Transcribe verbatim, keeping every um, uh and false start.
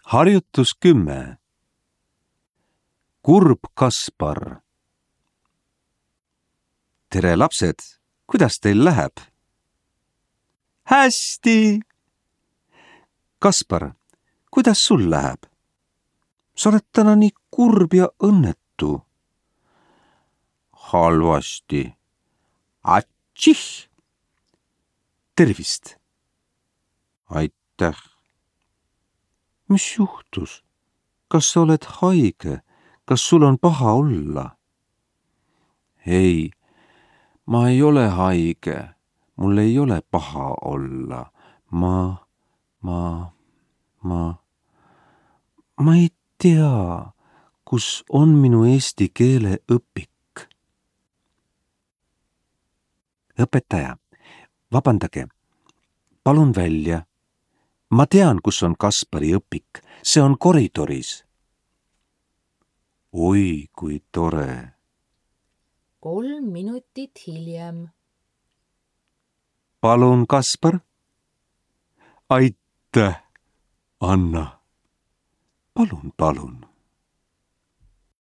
Harjutus kümme. Kurb Kaspar. Tere lapsed, kuidas teil läheb? Hästi! Kaspar, kuidas sul läheb? Sa oled täna nii kurb ja õnnetu. Halvasti. Atših! Tervist! Aitäh! Mis juhtus? Kas sa oled haige? Kas sul on paha olla? Ei, ma ei ole haige. Mul ei ole paha olla. Ma, ma, ma, ma ei tea, kus on minu eesti keele õpik. Õpetaja, vabandage, palun välja. Ma tean, kus on Kaspari õpik. See on koridoris. Oi, kui tore. Kolm minutit hiljem. Palun, Kaspar. Aitäh, Anna. Palun, palun.